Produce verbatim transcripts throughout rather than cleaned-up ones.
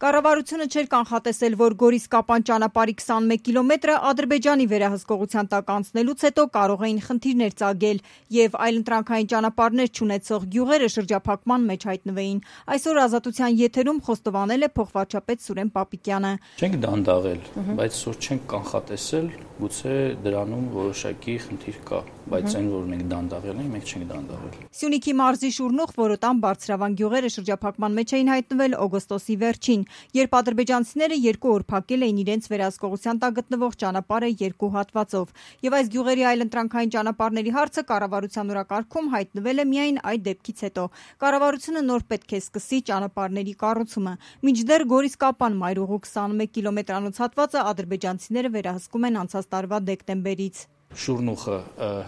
Կառավարությունը չէր կանխատեսել, որ Գորիս-Կապան ճանապարհի քսանմեկ կիլոմետրը Ադրբեջանի վերահսկողության տակ անցնելուց հետո կարող էին խնդիրներ ծագել եւ այլընտրանքային ճանապարհներ չունեցող գյուղերը շրջափակման մեջ հայտնվեին։ Այսօր Ազատության եթերում խոստովանել է փոխվարչապետ Սուրեն Պապիկյանը։ Չենք դանդաղել, բայց այսօր չենք կանխատեսել, գուցե դրանում որոշակի խնդիր կա, բայց այն որ մենք դանդաղել ենք, մենք չենք դանդաղել։ Սյունիքի մարզի Շուրնուղ, Որոտան, Բարձրավան գյուղերը շրջափակման մեջ էին հայտնվել օգոստոսի վերջին, երբ ադրբեջանցիները երկու օր փակել էին իրենց վերահսկողության տակ գտնվող ճանապարհը երկու հատվածով, եւ այս գյուղերի այլընտրանքային ճանապարհների հարցը կառավարության օրակարգում հայտնվել է միայն այդ դեպքից հետո։ Կառավարությունը նոր պետք է սկսի ճանապարհների կառուցումը։ Մինչդեռ Գորիս-Կապան մայրուղու քսանմեկ կիլոմետրանոց հատվածը ադրբեջանցիները վերահսկում են անցած տարվա դեկտեմբերից։ Շուրնուխը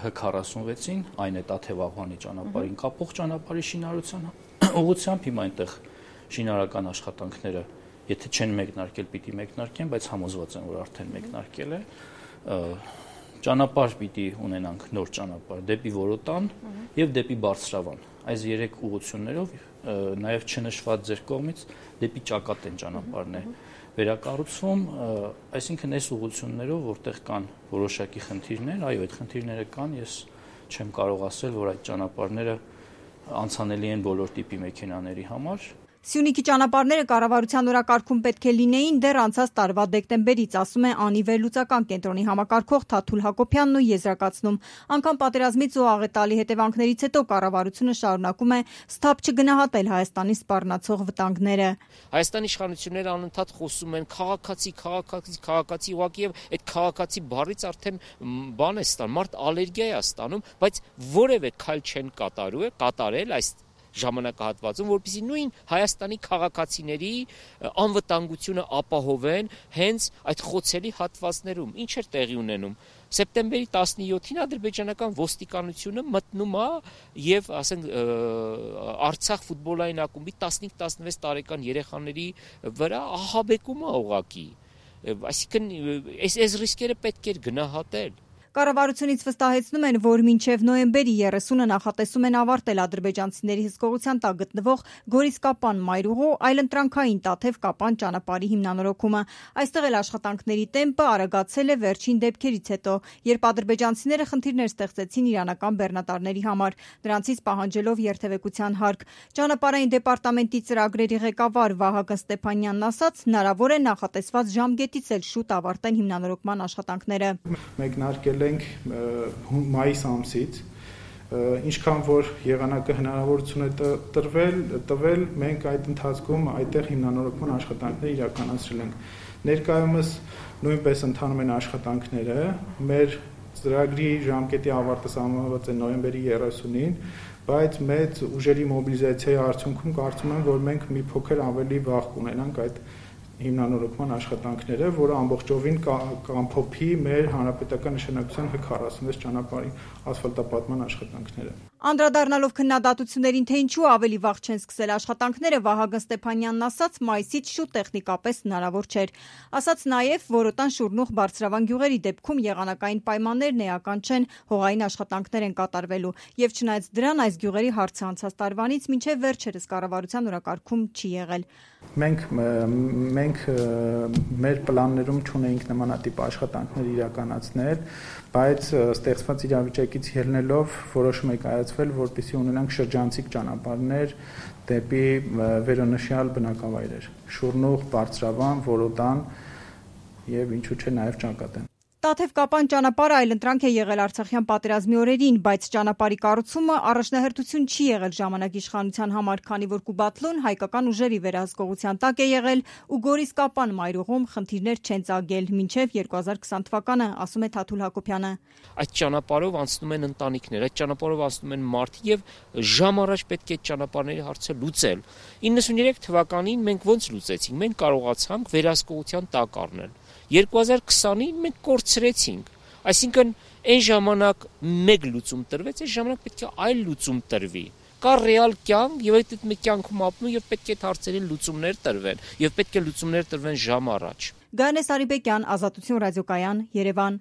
Հ քառասունվեցին, այն է Տաթև-Աղվանի ճանապարհին կապող ճանապարհի շինարարության ուղղությամբ, հիմա այնտեղ շինարարական աշխատանքները, եթե չեն մեկնարկել, պիտի մեկնարկեն, բայց համոզված եմ, որ արդեն մեկնարկել է։ Ճանապարհ պիտի ունենանք նոր ճանապարհ դեպի Որոտան եւ դեպի Բարձրավան։ Այս երեք ուղղություններով, նաեւ չնշված ձեր կողմից, դեպի Ճակատեն ճանապարհն է վերակառուցվում, այսինքն այս ուղղություններով, որտեղ կան որոշակի խնդիրներ, այո, այդ խնդիրները կան, ես չեմ կարող ասել, որ այդ ճանապարհները անցանելի են բոլոր տիպի մեքենաների համար։ Սյունիքի ճանապարհները կառավարության օրակարգում պետք է լինեին դեռ անցած տարվա դեկտեմբերից, ասում է Անի վերլուծական կենտրոնի համակարգող Թաթուլ Հակոբյանն ու եզրակացնում։ Անկամ պատերազմից ու աղետալի հետևանքներից հետո կառավարությունը շարունակում է սթափ չգնահատել Հայաստանի սպառնացող վտանգները։ Հայաստանի իշխանությունները անընդհատ խոսում են քաղաքացի, քաղաքացի, քաղաքացի, ուղղակի եւ այդ քաղաքացի բառից արդեն բան է ստանում, մարդ ալերգիա է ստանում, բայց որևէ քայլ չեն կատարում, կատարել այս ժամանակահատվածում, որպեսզի նույն Հայաստանի քաղաքացիների անվտանգությունը ապահովեն հենց այդ խոցելի հատվածներում։ Ինչ էր տեղի ունենում։ Սեպտեմբերի տասնյոթին ադրբեջանական ոստիկանությունը մտնում է եւ, ասենք, Արցախ ֆուտբոլային ակումբի տասնհինգ տասնվեց տարեկան երեխաների վրա ահաբեկում է ուղղակի։ Այսինքն այս այս ռիսկերը պետք էր գնահատել։ Կառավարությունից վստահեցնում են, որ մինչև նոյեմբերի երեսունը նախատեսում են ավարտել ադրբեջանցիների հսկողության տակ գտնվող Գորիս-Կապան մայրուղու այլընտրանքային Տաթև-Կապան ճանապարհի հիմնանորոգումը։ Այստեղ էլ աշխատանքների տեմպը արագացել է վերջին դեպքերից հետո, երբ ադրբեջանցիները խնդիրներ ստեղծեցին իրանական բեռնատարների համար, նրանցից պահանջելով երթևեկության հարկ։ Ճանապարհային դեպարտամենտի ծրագրերի ղեկավար Վահագն Ստեփանյանն ասաց, հնարավոր է նախատեսված ժամկետից էլ շուտ ավարտեն հիմնանորոգման աշխատանքները։ Մեկնարկել ենք մայիս ամսից, ինչքան որ եղանակը հնարավորություն է տրվել, տվել, մենք այդ ընթացքում այդտեղ հիմնանորոգման աշխատանքներ իրականացրել ենք։ Ներկայումս նույնպես ընթանում են աշխատանքները, մեր ծրագրի ժամկետի ավարտը սահմանված է նոյեմբերի երեսունին, բայց մեծ ուժերի մոբիլիզացիայի արդյունքում կարծում եմ, որ մենք մի փոքր ավելի վաղ կունենանք այդ հիմնանորոգման աշխատանքները, որը ամբողջովին կամփոփի մեր հանրապետական նշանակության Հ քառասունվեց ճանապարհի ասֆալտապատման աշխատանքները։ Անդրադառնալով քննադատություններին, թե ինչու ավելի վաղ չեն սկսել աշխատանքները, Վահագն Ստեփանյանն ասաց, մայիսից շուտ տեխնիկապես հնարավոր չէր։ Ասաց նաև, Որոտան, Շուրնուղ, Բարձրավան գյուղերի դեպքում եղանակային պայմաններն էական չեն, հողային աշխատանքներ են կատարվելու, եւ չնայած դրան այս գյուղերի հարցը անցած տարվանից մինչև վերջերս կառավարության օրակարգում չի եղել։ Մենք մենք մեր պլաններում չունեինք նմանատիպ աշխատանքներ իրականացնել, բայց ստեղծված իրավիճակից ելնելով որոշում է կայացվել, որպեսզի ունենանք շրջանցիկ ճանապարհներ դեպի վերոնշյալ բնակավայրեր՝ Շուրնուղ, Բարձրավան, Որոտան եւ ինչու՞ չէ նաեւ Ճակատեն։ Տաթև-Կապան ճանապարհը այլընտրանք է եղել Արցախյան պատերազմի օրերին, բայց ճանապարհի կառուցումը առաջնահերթություն չի եղել ժամանակի իշխանության համար, քանի որ Կուբատլուն հայկական ուժերի վերահսկողության տակ է եղել ու Գորիս-Կապան մայրուղում խնդիրներ չեն ծագել մինչև երկու հազար քսան թվականը, ասում է Թաթուլ Հակոբյանը։ Այդ ճանապարհով անցնում են ընտանիքներ, այդ ճանապարհով անցնում են մարդիկ եւ ժամ առաջ պետք է այդ ճանապարհների հարցը լուծել։ իննսուններեք թվականին մենք ոնց լուծեցինք։ Մենք կարողացանք վերահսկողության տակ առնել։ երկու հազար քսանին մենք կորցրեցինք, այսինքն այն ժամանակ մեկ լուծում տրվեց, այս ժամանակ պետք է այլ լուծում տրվի։ Կա ռեալ կյանք եւ այդ մի կյանքում ապրում եւ պետք է հարցերի լուծումներ տրվեն եւ պետք է լուծումներ տրվեն ժամ առաջ։ Գայանե Սարիբեկյան, Ազատություն ռադիոկայան, Երևան։